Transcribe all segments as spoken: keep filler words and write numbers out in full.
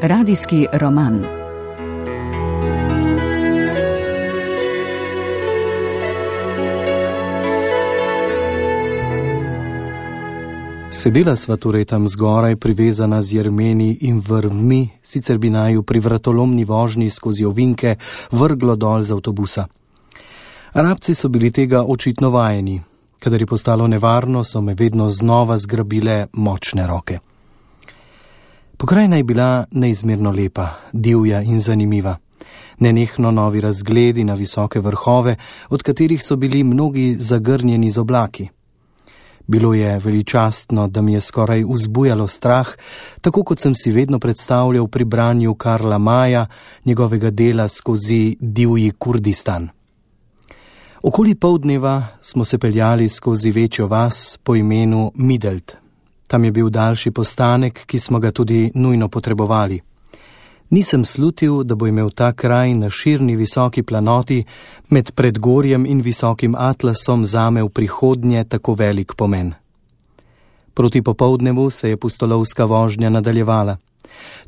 Radijski roman. Sedela sva torej tam zgoraj, privezana z jermeni in vrvmi, sicer bi naju pri vratolomni vožnji skozi ovinke vrglo dol z avtobusa. Arabci so bili tega očitno vajeni. Kadar je postalo nevarno, so me vedno znova zgrabile močne roke. Pokrajina je bila neizmerno lepa, divja in zanimiva. Nenehno novi razgledi na visoke vrhove, od katerih so bili mnogi zagrnjeni z oblaki. Bilo je veličastno, da mi je skoraj vzbujalo strah, tako kot sem si vedno predstavljal pri branju Karla Maja, njegovega dela skozi divji Kurdistan. Okoli poldneva smo se peljali skozi večjo vas po imenu Midelt. Tam je bil daljši postanek, ki smo ga tudi nujno potrebovali. Nisem slutil, da bo imel ta kraj na širni visoki planoti med Predgorjem in visokim Atlasom zame v prihodnje tako velik pomen. Proti popoldnevu se je pustolovska vožnja nadaljevala.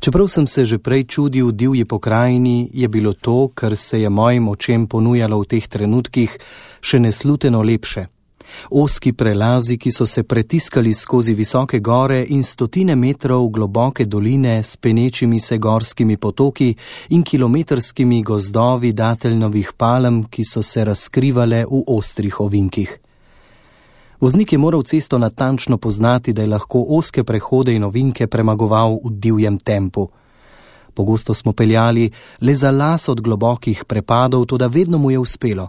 Čeprav sem se že prej čudil divji pokrajini, je bilo to, kar se je mojim očem ponujalo v teh trenutkih, še nesluteno lepše. Ozki prelazi, ki so se pretiskali skozi visoke gore in stotine metrov globoke doline s penečimi se gorskimi potoki in kilometrskimi gozdovi dateljnovih palm, ki so se razkrivale v ostrih ovinkih. Voznik je moral cesto natančno poznati, da je lahko ozke prehode in ovinke premagoval v divjem tempu. Pogosto smo peljali le za las od globokih prepadov, toda vedno mu je uspelo.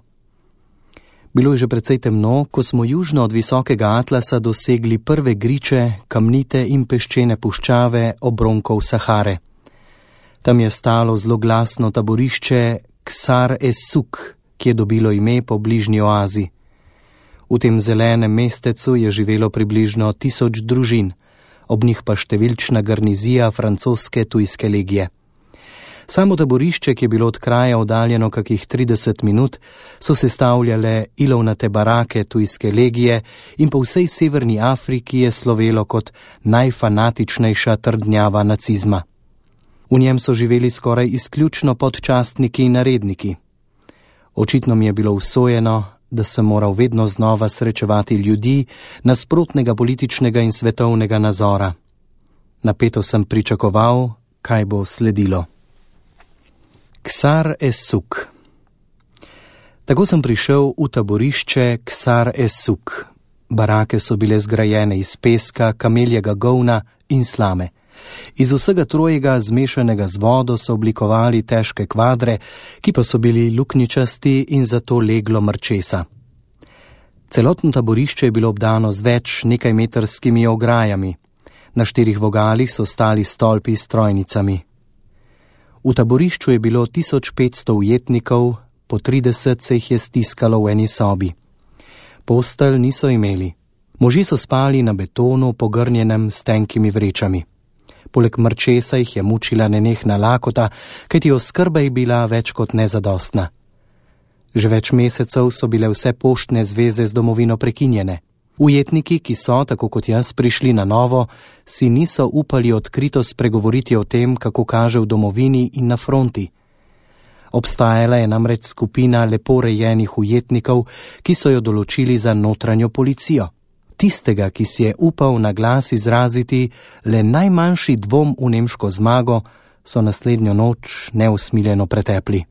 Bilo je že precej temno, ko smo južno od visokega Atlasa dosegli prve griče, kamnite in peščene puščave obronkov Sahare. Tam je stalo zloglasno taborišče Ksar es-Suk, ki je dobilo ime po bližnji oazi. V tem zelenem mestecu je živelo približno tisoč družin, ob njih pa številčna garnizija francoske tujske legije. Samo taborišče, ki je bilo od kraja oddaljeno kakih trideset minut, so sestavljale ilovnate barake tujske legije in po vsej severni Afriki je slovelo kot najfanatičnejša trdnjava nacizma. V njem so živeli skoraj izključno podčastniki in naredniki. Očitno mi je bilo usojeno, da sem moral vedno znova srečevati ljudi nasprotnega političnega in svetovnega nazora. Napeto sem pričakoval, kaj bo sledilo. Ksar es-Suk. Tako sem prišel v taborišče Ksar es-Suk. Barake so bile zgrajene iz peska, kameljega govna in slame. Iz vsega trojega zmešanega z vodo so oblikovali težke kvadre, ki pa so bili luknjičasti in zato leglo mrčesa. Celotno taborišče je bilo obdano z več nekajmetrskimi ograjami. Na štirih vogalih so stali stolpi s trojnicami. V taborišču je bilo tisoč petsto ujetnikov, po trideset se jih je stiskalo v eni sobi. Postelj niso imeli. Možje so spali na betonu, pogrnjenem s tenkimi vrečami. Poleg mrčesa jih je mučila nenehna lakota, kajti oskrba je bila več kot nezadostna. Že več mesecev so bile vse poštne zveze z domovino prekinjene. Ujetniki, ki so, tako kot jaz, prišli na novo, si niso upali odkrito spregovoriti o tem, kako kaže v domovini in na fronti. Obstajala je namreč skupina lepo rejenih ujetnikov, ki so jo določili za notranjo policijo. Tistega, ki si je upal na glas izraziti le najmanjši dvom v nemško zmago, so naslednjo noč neusmiljeno pretepli.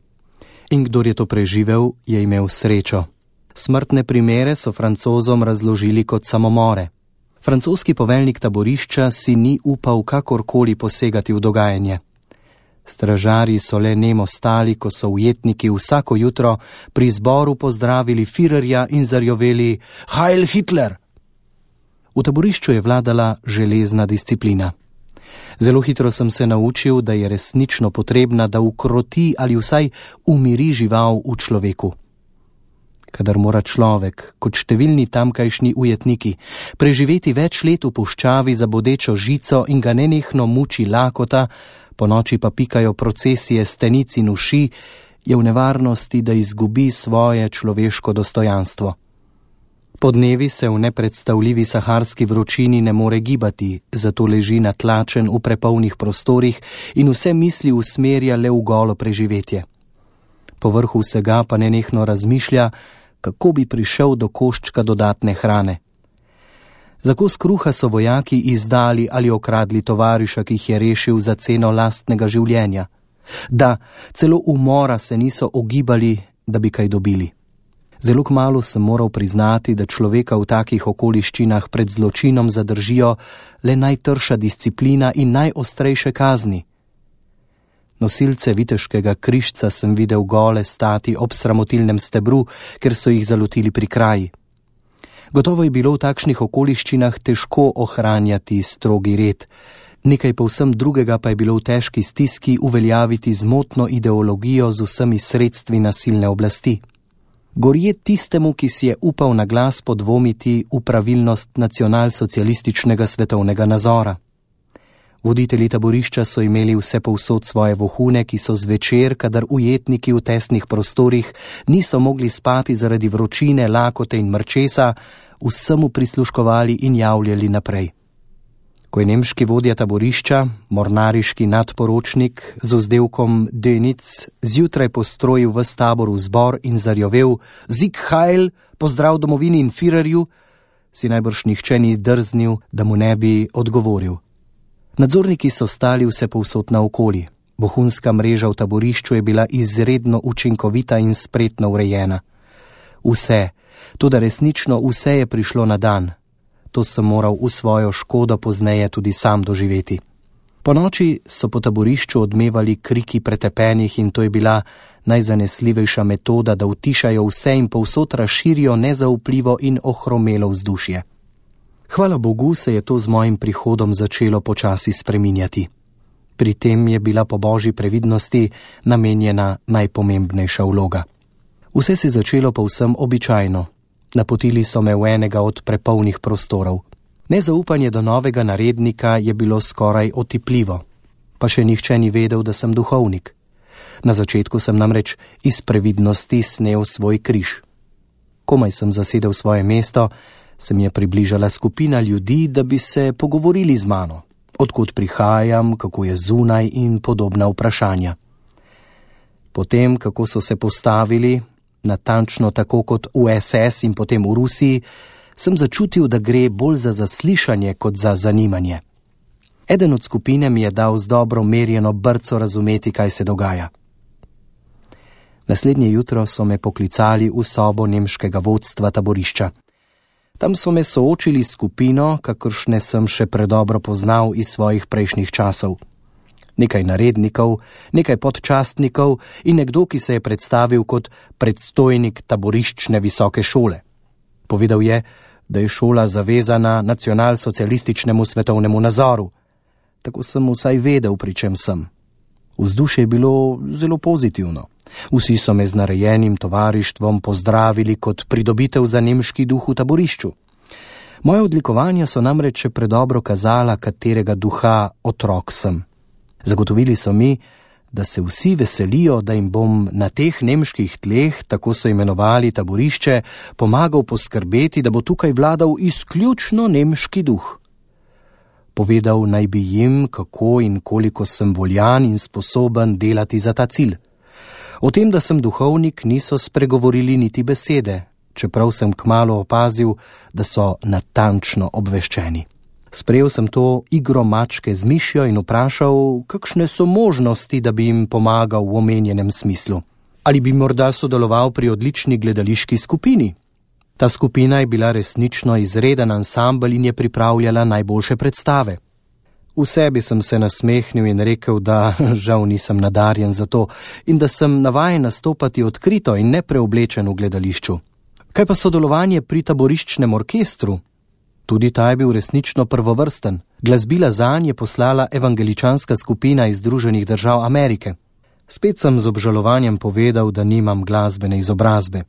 In kdor je to preživel, je imel srečo. Smrtne primere so Francozom razložili kot samomore. Francoski poveljnik taborišča si ni upal kakorkoli posegati v dogajanje. Stražarji so le nemo stali, ko so ujetniki vsako jutro pri zboru pozdravili Führerja in zarjoveli Heil Hitler! V taborišču je vladala železna disciplina. Zelo hitro sem se naučil, da je resnično potrebna, da ukroti ali vsaj umiri žival v človeku. Kadar mora človek, kot številni tamkajšnji ujetniki, preživeti več let v puščavi za bodečo žico in ga nenehno muči lakota, po noči pa pikajo procesije stenic in uši, je v nevarnosti, da izgubi svoje človeško dostojanstvo. Podnevi se v nepredstavljivi saharski vročini ne more gibati, zato leži natlačen v prepolnih prostorih in vse misli usmerja le v golo preživetje. Povrhu vsega pa nenehno razmišlja, kako bi prišel do koščka dodatne hrane. Za kos kruha so vojaki izdali ali okradli tovariša, ki jih je rešil za ceno lastnega življenja. Da, celo umora se niso ogibali, da bi kaj dobili. Zelo kmalu sem moral priznati, da človeka v takih okoliščinah pred zločinom zadržijo le najtrša disciplina in najostrejše kazni. Nosilce viteškega križca sem videl gole stati ob sramotilnem stebru, ker so jih zalotili pri kraji. Gotovo je bilo v takšnih okoliščinah težko ohranjati strogi red. Nekaj povsem drugega pa je bilo v težki stiski uveljaviti zmotno ideologijo z vsemi sredstvi nasilne oblasti. Gorje tistemu, ki si je upal na glas podvomiti v pravilnost nacionalsocialističnega svetovnega nazora. Voditelji taborišča so imeli vse povsod svoje vohune, ki so zvečer, kadar ujetniki v tesnih prostorih niso mogli spati zaradi vročine, lakote in mrčesa, vsemu prisluškovali in javljali naprej. Ko je nemški vodja taborišča, mornariški nadporočnik z vzdevkom Dönic, zjutraj postrojil ves tabor v zbor in zarjovel Sieg Heil, pozdrav domovini in Führerju, si najbrž nihče ni drznil, da mu ne bi odgovoril. Nadzorniki so stali vse povsod naokoli. Vohunska mreža v taborišču je bila izredno učinkovita in spretno urejena. Vse, tudi resnično vse je prišlo na dan. To sem moral v svojo škodo pozneje tudi sam doživeti. Po noči so po taborišču odmevali kriki pretepenih in to je bila najzanesljivejša metoda, da utišajo vse in povsod razširijo nezaupljivo in ohromelo vzdušje. Hvala Bogu se je to z mojim prihodom začelo počasi spreminjati. Pri tem je bila po božji previdnosti namenjena najpomembnejša vloga. Vse se je začelo povsem običajno. Napotili so me v enega od prepolnih prostorov. Nezaupanje do novega narednika je bilo skoraj otipljivo. Pa še nihče ni vedel, da sem duhovnik. Na začetku sem namreč iz previdnosti snel svoj križ. Komaj sem zasedel svoje mesto, se mi je približala skupina ljudi, da bi se pogovorili z mano. Odkud prihajam, kako je zunaj in podobna vprašanja. Potem, kako so se postavili, natančno tako kot v es es in potem v Rusiji, sem začutil, da gre bolj za zaslišanje kot za zanimanje. Eden od skupine mi je dal z dobro merjeno brco razumeti, kaj se dogaja. Naslednje jutro so me poklicali v sobo nemškega vodstva taborišča. Tam so me soočili s skupino, kakršne sem še predobro poznal iz svojih prejšnjih časov. Nekaj narednikov, nekaj podčastnikov in nekdo, ki se je predstavil kot predstojnik taboriščne visoke šole. Povedal je, da je šola zavezana nacionalsocialističnemu svetovnemu nazoru. Tako sem vsaj vedel, pri čem sem. Vzdušje je bilo zelo pozitivno. Vsi so me z narejenim tovarištvom pozdravili kot pridobitev za nemški duh v taborišču. Moje odlikovanja so namreč še predobro kazala, katerega duha otrok sem. Zagotovili so mi, da se vsi veselijo, da jim bom na teh nemških tleh, tako so imenovali taborišče, pomagal poskrbeti, da bo tukaj vladal izključno nemški duh. Povedal naj bi jim, kako in koliko sem voljan in sposoben delati za ta cilj. O tem, da sem duhovnik, niso spregovorili niti besede, čeprav sem kmalu opazil, da so natančno obveščeni. Sprejel sem to igro mačke z mišjo in vprašal, kakšne so možnosti, da bi jim pomagal v omenjenem smislu. Ali bi morda sodeloval pri odlični gledališki skupini? Ta skupina je bila resnično izreden ansambel in je pripravljala najboljše predstave. V sebi sem se nasmehnil in rekel, da žal nisem nadarjen za to in da sem navajen nastopati odkrito in nepreoblečen v gledališču. Kaj pa sodelovanje pri taboriščnem orkestru? Tudi ta je bil resnično prvovrsten. Glasbila zanj je poslala evangeličanska skupina iz Združenih držav Amerike. Spet sem z obžalovanjem povedal, da nimam glasbene izobrazbe.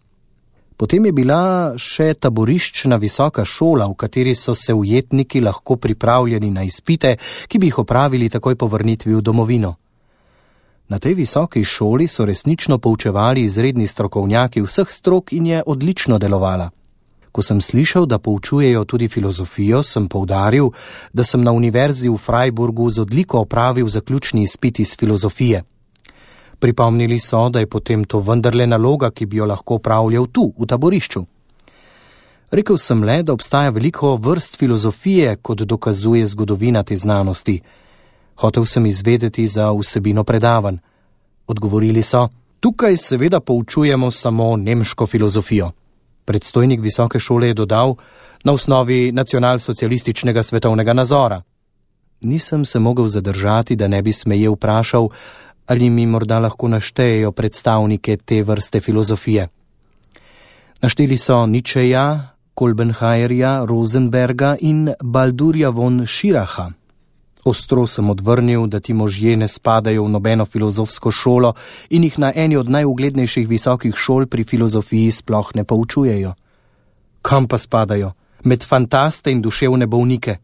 Potem je bila še taboriščna visoka šola, v kateri so se ujetniki lahko pripravljeni na izpite, ki bi jih opravili takoj po vrnitvi v domovino. Na tej visoki šoli so resnično poučevali izredni strokovnjaki vseh strok in je odlično delovala. Ko sem slišal, da poučujejo tudi filozofijo, sem poudaril, da sem na univerzi v Freiburgu z odliko opravil zaključni izpit iz filozofije. Pripomnili so, da je potem to vendarle naloga, ki bi jo lahko opravljal tu, v taborišču. Rekel sem le, da obstaja veliko vrst filozofije, kot dokazuje zgodovina te znanosti. Hotel sem izvedeti za vsebino predavanj. Odgovorili so, tukaj seveda poučujemo samo nemško filozofijo. Predstojnik visoke šole je dodal, na osnovi nacionalsocialističnega svetovnega nazora. Nisem se mogel zadržati, da ne bi smeje vprašal, ali mi morda lahko naštejejo predstavnike te vrste filozofije. Našteli so Nietzscheja, Kolbenheierja, Rosenberga in Baldurja von Schiracha. Ostro sem odvrnil, da ti možje ne spadajo v nobeno filozofsko šolo in jih na eni od najuglednejših visokih šol pri filozofiji sploh ne poučujejo. Kam pa spadajo? Med fantaste in duševne bolnike?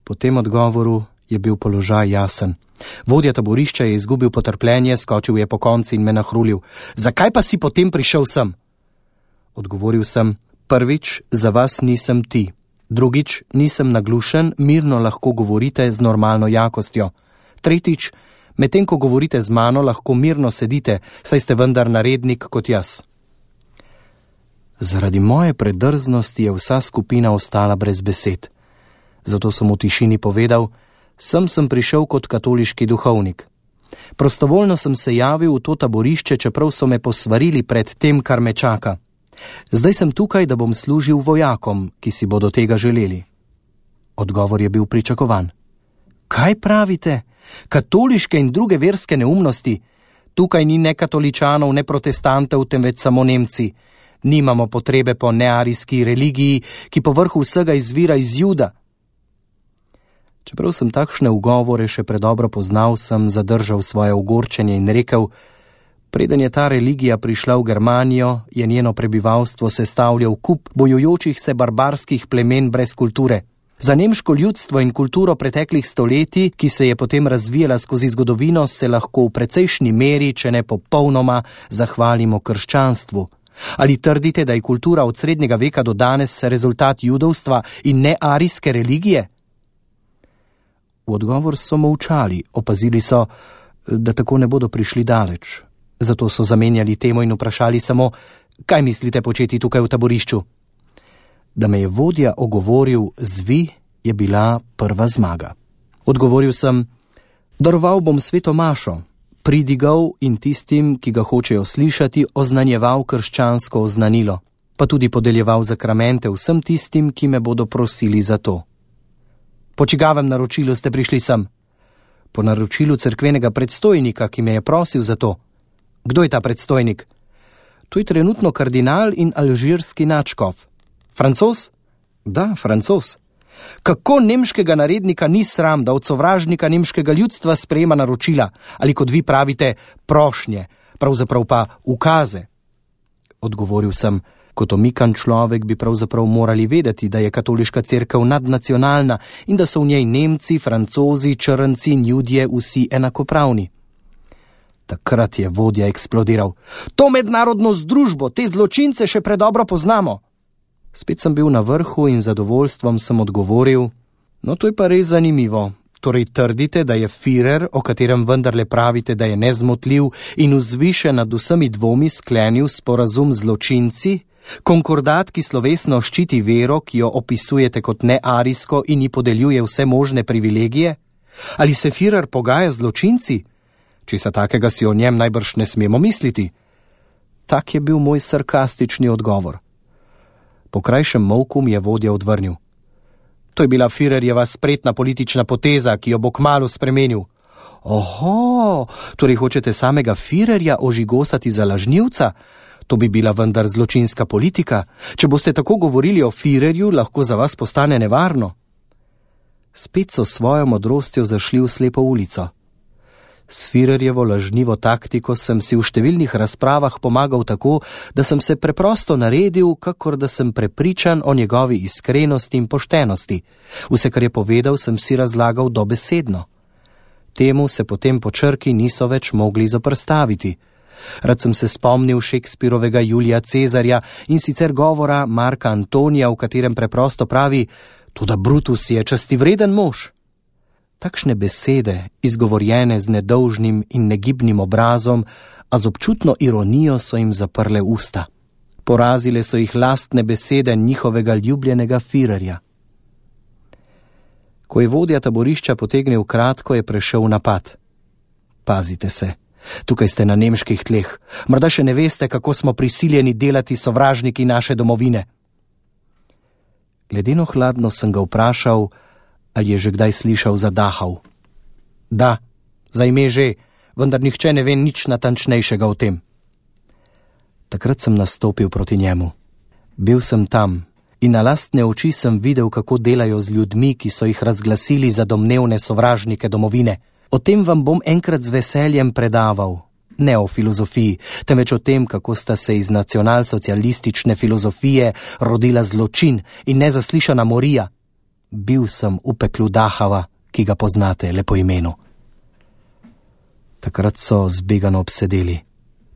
Po tem odgovoru je bil položaj jasen. Vodja taborišča je izgubil potrpljenje, skočil je pokonci in me nahrulil. Zakaj pa si potem prišel sem? Odgovoril sem, prvič, za vas nisem ti. Drugič, nisem naglušen, mirno lahko govorite z normalno jakostjo. Tretjič, medtem ko govorite z mano, lahko mirno sedite, saj ste vendar narednik kot jaz. Zaradi moje predrznosti je vsa skupina ostala brez besed. Zato sem v tišini povedal, sem sem prišel kot katoliški duhovnik. Prostovoljno sem se javil v to taborišče, čeprav so me posvarili pred tem, kar me čaka. Zdaj sem tukaj, da bom služil vojakom, ki si bodo tega želeli. Odgovor je bil pričakovan. Kaj pravite? Katoliške in druge verske neumnosti? Tukaj ni ne katoličanov, ne protestantov, temveč samo Nemci. Nimamo potrebe po nearijski religiji, ki po vrhu vsega izvira iz Juda. Čeprav sem takšne ugovore še predobro poznal, sem zadržal svoje ogorčenje in rekel, preden je ta religija prišla v Germanijo, je njeno prebivalstvo sestavljal kup bojujočih se barbarskih plemen brez kulture. Za nemško ljudstvo in kulturo preteklih stoletij, ki se je potem razvijala skozi zgodovino, se lahko v precejšnji meri, če ne popolnoma, zahvalimo krščanstvu. Ali trdite, da je kultura od srednjega veka do danes rezultat judovstva in ne arijske religije? V odgovor so molčali, opazili so, da tako ne bodo prišli daleč. Zato so zamenjali temo in vprašali samo, kaj mislite početi tukaj v taborišču? Da me je vodja ogovoril z vi, je bila prva zmaga. Odgovoril sem, daroval bom sveto mašo, pridigal in tistim, ki ga hočejo slišati, oznanjeval krščansko oznanilo, pa tudi podeljeval zakramente vsem tistim, ki me bodo prosili za to. Po čigavem naročilu ste prišli sem? Po naročilu cerkvenega predstojnika, ki me je prosil za to. Kdo je ta predstojnik? To je trenutno kardinal in alžirski nadškof. Francoz? Da, Francoz. Kako nemškega narednika ni sram, da od sovražnika nemškega ljudstva sprejema naročila, ali kot vi pravite, prošnje, pravzaprav pa ukaze? Odgovoril sem, kot omikan človek bi pravzaprav morali vedeti, da je katoliška cerkev nadnacionalna in da so v njej Nemci, Francozi, Črnci in Judje vsi enakopravni. Takrat je vodja eksplodiral. To mednarodno združbo, te zločince še predobro poznamo. Spet sem bil na vrhu in zadovoljstvom sem odgovoril, no to je pa res zanimivo. Torej trdite, da je Führer, o katerem vendarle pravite, da je nezmotljiv in vzvišen nad vsemi dvomi sklenil sporazum z zločinci, konkordat, ki slovesno ščiti vero, ki jo opisujete kot nearijsko in ji podeljuje vse možne privilegije? Ali se Führer pogaja z zločinci? Česa takega si o njem najbrž ne smemo misliti. Tak je bil moj sarkastični odgovor. Po krajšem molku mi je vodja odvrnil. To je bila Führerjeva spretna politična poteza, ki jo bo kmalu spremenil. Oho, torej hočete samega Führerja ožigosati za lažnivca? To bi bila vendar zločinska politika. Če boste tako govorili o Führerju, lahko za vas postane nevarno. Spet so svojo modrostjo zašli v slepo ulico. S Führerjevo lažnivo taktiko sem si v številnih razpravah pomagal tako, da sem se preprosto naredil, kakor da sem prepričan o njegovi iskrenosti in poštenosti. Vse, kar je povedal, sem si razlagal dobesedno. Temu se potem po črki niso več mogli zoperstaviti. Rad sem se spomnil Shakespearovega Julija Cezarja in sicer govora Marka Antonija, v katerem preprosto pravi: "Toda Brutus je častivreden mož." Takšne besede, izgovorjene z nedolžnim in negibnim obrazom, a z občutno ironijo, so jim zaprle usta. Porazile so jih lastne besede njihovega ljubljenega firerja. Ko je vodja taborišča potegnil kratko, je prešel napad. "Pazite se, tukaj ste na nemških tleh. Morda še ne veste, kako smo prisiljeni delati sovražniki naše domovine." Ledeno hladno sem ga vprašal, ali je že kdaj slišal za Dachau. "Da, za ime že, vendar nihče ne ve nič natančnejšega o tem." Takrat sem nastopil proti njemu. Bil sem tam in na lastne oči sem videl, kako delajo z ljudmi, ki so jih razglasili za domnevne sovražnike domovine. O tem vam bom enkrat z veseljem predaval. Ne o filozofiji, temveč o tem, kako sta se iz nacionalsocialistične filozofije rodila zločin in nezaslišana morija. Bil sem v peklu Dachava, ki ga poznate le po imenu. Takrat so zbegano obsedeli.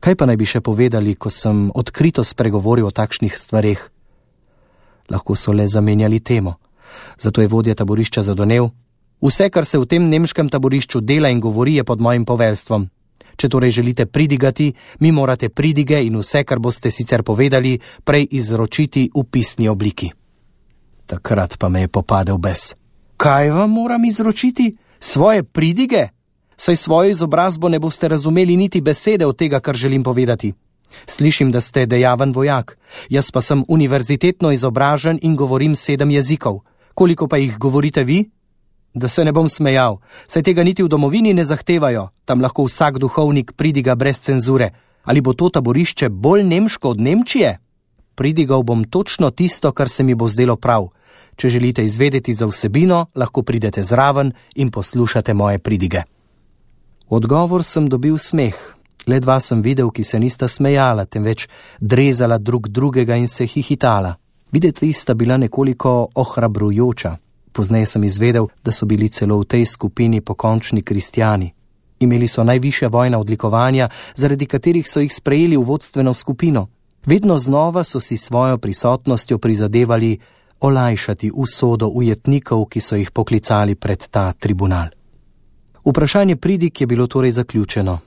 Kaj pa naj bi še povedali, ko sem odkrito spregovoril o takšnih stvareh? Lahko so le zamenjali temo. Zato je vodja taborišča zadonel: "Vse, kar se v tem nemškem taborišču dela in govori, je pod mojim poveljstvom. Če torej želite pridigati, mi morate pridige in vse, kar boste sicer povedali, prej izročiti v pisni obliki." Takrat pa me je popadel bes. "Kaj vam moram izročiti? Svoje pridige? Saj svojo izobrazbo ne boste razumeli niti besede od tega, kar želim povedati. Slišim, da ste dejaven vojak, jaz pa sem univerzitetno izobražen in govorim sedem jezikov. Koliko pa jih govorite vi? Da se ne bom smejal, saj tega niti v domovini ne zahtevajo, tam lahko vsak duhovnik pridiga brez cenzure. Ali bo to taborišče bolj nemško od Nemčije? Pridigal bom točno tisto, kar se mi bo zdelo prav. Če želite izvedeti za vsebino, lahko pridete zraven in poslušate moje pridige." Odgovor sem dobil smeh. Le dva sem videl, ki se nista smejala, temveč drezala drug drugega in se hihitala. Videti sta bila nekoliko ohrabrujoča. Pozneje sem izvedel, da so bili celo v tej skupini pokončni kristjani. Imeli so najvišja vojna odlikovanja, zaradi katerih so jih sprejeli v vodstveno skupino. Vedno znova so si svojo prisotnostjo prizadevali olajšati usodo ujetnikov, ki so jih poklicali pred ta tribunal. Vprašanje pridig je bilo torej zaključeno.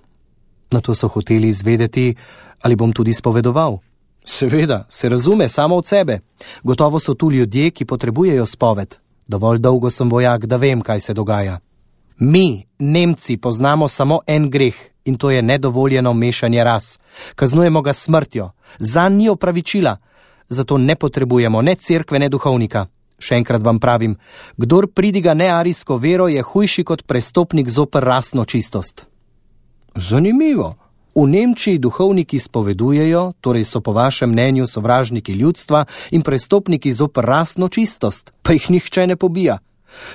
Nato so hoteli izvedeti, ali bom tudi spovedoval. Seveda, se razume samo od sebe. Gotovo so tu ljudje, ki potrebujejo spoved. Dovolj dolgo sem vojak, da vem, kaj se dogaja. Mi, Nemci, poznamo samo en greh in to je nedovoljeno mešanje ras. Kaznujemo ga smrtjo. Zanj ni opravičila. Zato ne potrebujemo ne cerkve, ne duhovnika. Še enkrat vam pravim, kdor pridiga nearijsko vero, je hujši kot prestopnik zoper rasno čistost. Zanimivo. V Nemčiji duhovniki spovedujejo, torej so po vašem mnenju sovražniki ljudstva in prestopniki zoper rasno čistost, pa jih nihče ne pobija.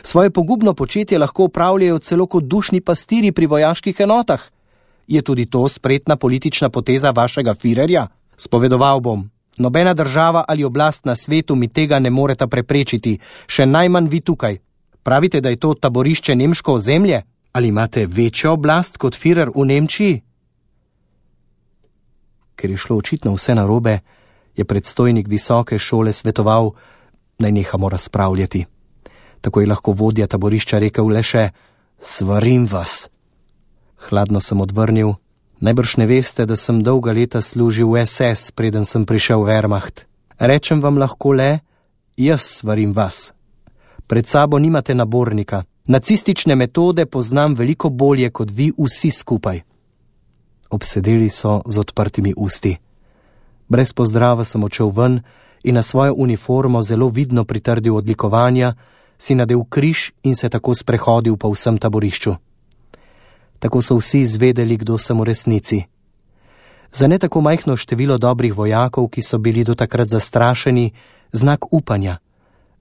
Svoje pogubno početje lahko opravljajo celo kot dušni pastiri pri vojaških enotah. Je tudi to spretna politična poteza vašega firerja? Spovedoval bom. Nobena država ali oblast na svetu mi tega ne moreta preprečiti, še najmanj vi tukaj. Pravite, da je to taborišče nemško ozemlje? Ali imate večjo oblast kot firer v Nemčiji? Ker je šlo očitno vse narobe, je predstojnik visoke šole svetoval, naj nehamo razpravljati. Tako je lahko vodja taborišča rekel le še: "Svarim vas." Hladno sem odvrnil: "Najbrž ne veste, da sem dolga leta služil v es es, preden sem prišel v Wehrmacht. Rečem vam lahko le: jaz svarim vas. Pred sabo nimate nabornika. Nacistične metode poznam veliko bolje kot vi vsi skupaj." Obsedeli so z odprtimi usti. Brez pozdrava sem odšel ven in na svojo uniformo zelo vidno pritrdil odlikovanja, si nadel križ in se tako sprehodil po vsem taborišču. Tako so vsi izvedeli, kdo sem v resnici. Za ne tako majhno število dobrih vojakov, ki so bili do takrat zastrašeni, znak upanja,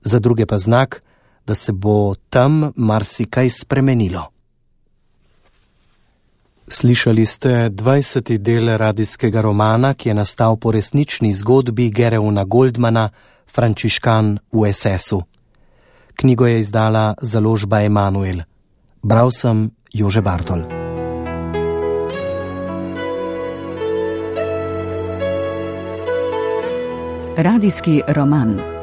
za druge pa znak, da se bo tam marsikaj spremenilo. Slišali ste dvajseti del radijskega romana, ki je nastal po resnični zgodbi Gereona Goldmana, Frančiškan v es esu. Knjigo je izdala založba Emanuel. Bral sem Jože Bartol. Radijski roman.